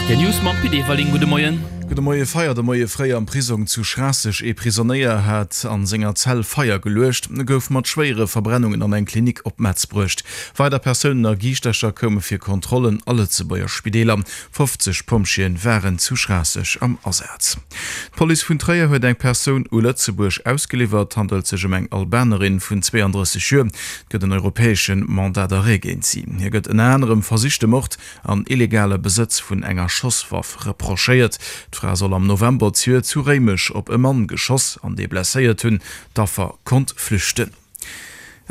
Rtl News mam Pit Everling. Gudde Moien. Gudde Moie. Feier de Moie fréi am Prisong zu Schraasseg. Ee Prisonéier hat a senger Zell Feier geluecht, gouf mat schwéiere Verbrennungen an eng Klinik op Metz bruecht. Weider Persounen a Giischtercher koume fir Kontrollen a Lëtzebuerger Spideeler. 50 Pompjeeën waren zu Schraasseg am Asaz. D'Police vun Tréier huet eng Persoun u Lëtzebuerg ausgeliwwert. Et handelt sech ëm eng Albanerin vun 32 Joer. Et gëtt en europäesche Mandat d'arrêt géint si. Hir gëtt ënner anerem versichte Mord an illegale Besëtz vun enger Schosswaff reprochéiert. D'Fra soll am November zejoert zu Réimech op e Mann geschoss an dee blesséiert hunn. D'Affer konnt flüchten.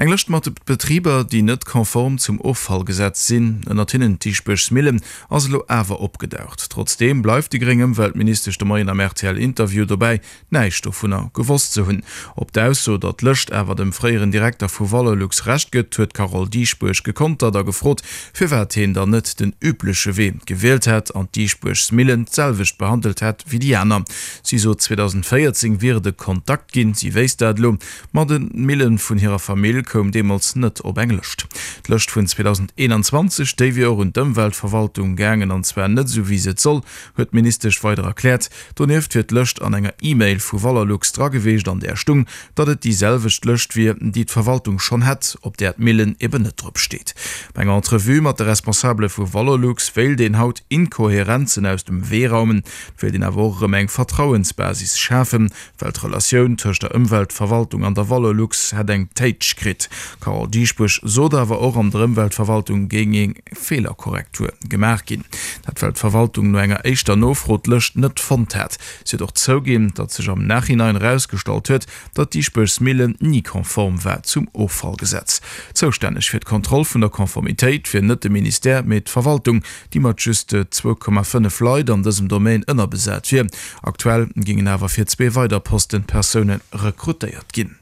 Eng Lëscht mat Betriber, déi net konform zum Offallgesetz sinn, ënnert hinnen d'Dischbuergs Millen, ass elo awer opgedaucht. Trotzdeem bleift déi gréng Ëmweltministesch de Moien am RTL-Interview dobäi, näischt dovunner gewosst ze hunn. Op d'Ausso, datt d'Lëscht awer dem fréieren Direkter vu Valorlux Recht gëtt, huet d'Carole Dieschbourg gekontert a gefrot, firwat heen dann net den übleche Wee gewielt hätt an d'Dischbuergs Millen d'selwecht behandelt hätt wéi déi aner. Si sot, 2014 wier et e Kontakt ginn, si wéisst dat elo, Ma de Millen vun hirer Famill koum deemools net op eng Lëscht. D'Lëscht vun 2021, déi wier och un d'Ëmweltverwaltung gaangen, an zwar net esou wéi se et soll, huet d'Ministesch weider erkläert. Donieft wier d'Lëscht an enger E-Mail vu Valorlux dra geweecht, an där stung, datt et déi selwecht Lëscht wier, déi d'Verwaltung schonn hätt, op där d'Millen eben net drop steet. Bei enger Entrevue mat de Responsabele vu Valorlux wéilt een haut Inkohärenzen aus dem Wee raumen, et wéilt een awer och erëm eng Vertrauensbasis schafen, Well d'Relatioun tëscht der Ëmweltverwaltung an der Valorlux hätt eng Téitsch kritt. D'Carole Dieschbourg sot awer och, an der Ëmweltverwaltung géing eng Feelerkorrektur gemaach ginn. Dat well d'Verwaltung no enger éischter Nofro d'Lëscht net fonnt hat. Si huet och zouginn, datt sech am Nachhinein erausgestallt huet, datt d'Dischbuergs Millen ni konform war zum Offallgesetz. Zoustänneg fir d'Kontroll vun der Konformitéit wier net de Ministère, mee d'Verwaltung, déi mat just 2,5 Leit an dësem Domaine ënnerbesat wier. Aktuell géingen awer fir zwee weider Posten Persoune rekrutéiert ginn.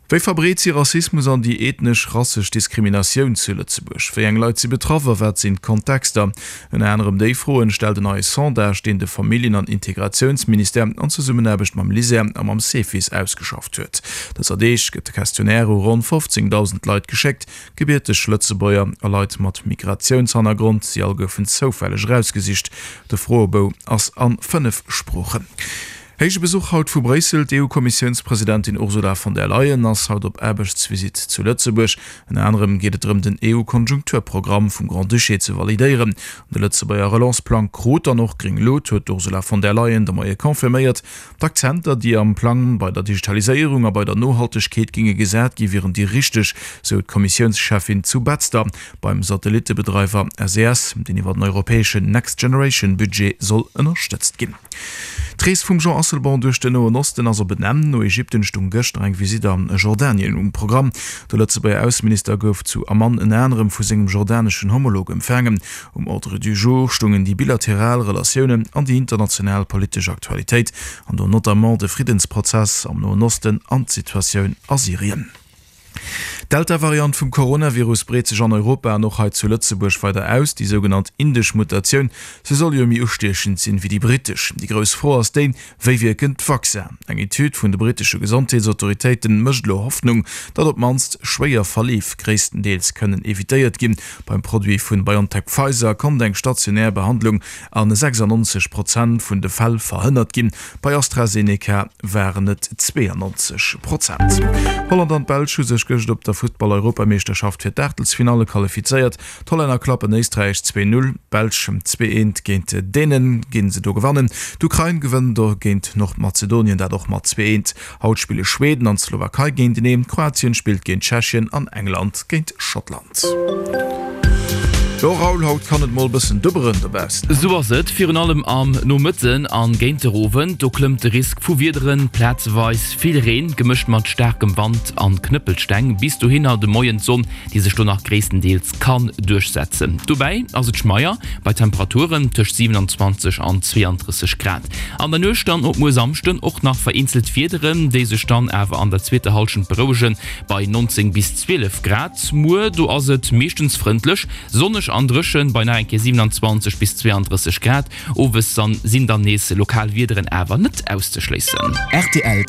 Wéi verbreet si Rassismus an déi ethnesch-rassesch Diskriminatioun zu Lëtzebuerg? Wéi eng Leit si betraff a wat sinn d'Kontexter? Ënner anerem déi Froen stellt en neie Sondage, deen de Familljen an Integratiounsministère an Zesummenaarbecht mam LISER a mam Cefis ausgeschafft huet. Dëser Deeg gëtt de Questionnaire u ronn 15.000 Leit geschéckt, Gebierteg Lëtzebuerger a Leit mat Migratiounshannergrond, si all goufen zoufälleg erausgesicht. De Froebou ass a 5 Sproochen. Héije Besuch haut vu Bréissel, D'EU-Kommissiounspresidentin Ursula von der Leyen ass haut op Aarbechtsvisitt zu Lëtzebuerg. Ënner anerem geet et drëm den EU-Konjunkturprogramm vum Grand-Duché ze validéieren. De Lëtzebuerger Relance-Plang krut dann och gréng Lut, huet d'Ursula von der Leyen de Moie confirméiert. D'Akzenter, déi am Plang bei der Digitaliséierung a bei der Nohaltegkeet géinge gesat gi wieren déi richteg, sou d'Kommissiounscheffin zu Betzder beim Satellittebedreiwer SES, deen iwwer den europäeschen Next Generation Budget soll ënnerstëtzt ginn. D'Rees vum Jean Asselborn duerch den Noen Osten ass op en Enn. No Ägypten stung gëschter eng Visitt a Jordanien um Programm. De Lëtzebuerger Ausseminister gouf zu Amman ënner anerem vu sengem jordaneschen Homolog empfaangen. Um Ordre du jour stungen déi bilateral Relatiounen an déi international politesch Aktualitéit, an do notamment de Friddensprozess am Noen Osten an d'Situatioun a Syrien. D'Delta-Variant vum Coronavirus breet sech an Europa an och hei zu Lëtzebuerg weider aus, déi sougenannt indesch Mutatioun. Se soll jo méi ustiechend sinn wéi déi brittesch. Déi grouss Fro ass déi, Wéi wierken d'Vaccinen? Eng Etüd vun de brittesche Gesondheetsautoritéite mécht elo Hoffnung, datt op d'mannst schwéier Verleef gréisstendeels kënnen evitéiert ginn. Beim Produit vun BioNTech-Pfizer konnt eng stationär Behandlung a 96 Prozent vun de Fäll verhënnert ginn, bei AstraZeneca waren et 92 Prozent. Holland an d'Belsch hu sech gëscht op der Futtball-Europameeschterschaft fir d'Aachtelsfinalle qualifizéiert. D'Hollänner klappen Éisträich 2, 0, d'Belsch 2, 1 géint Dänen ginn se do gewannen. D'Ukrain gewënnt do géint Nordmazedonien, dat och mat 2, 1. Haut spille Schweden an d'Slowakei géinteneen, Kroatien spillt géint Tschechien an England géint Schottland. Jo Raoul, haut kann et mol bëssen dubberen dobaussen. Sou ass et, virun allem am Nomëtten an géint de Owend, do klëmmt de Risk vu Wiederen, plazeweis vill Reen, gemëscht mat staarkem Wand an Knëppelsteng. Bis dohinner de Moien d'Sonn déi sech do nach gréisstendeels kann duerchsetzen. Dobäi ass et schmeier bei Temperaturen tëscht 27 an 32 Grad. An der Nuecht dann op muer Samschden och nach vereenzelt Wiederen, déi sech dann awer an der zweeter Hallschent berouegen bei 19 bis 12 Grad. Muer do ass et meeschtens frëndlech, sonneg an dréchen bei nach eng Kéier 27 bis 32 Grad. Owes sinn dann nees lokal Wiederen awer net auszeschléissen. Rtl.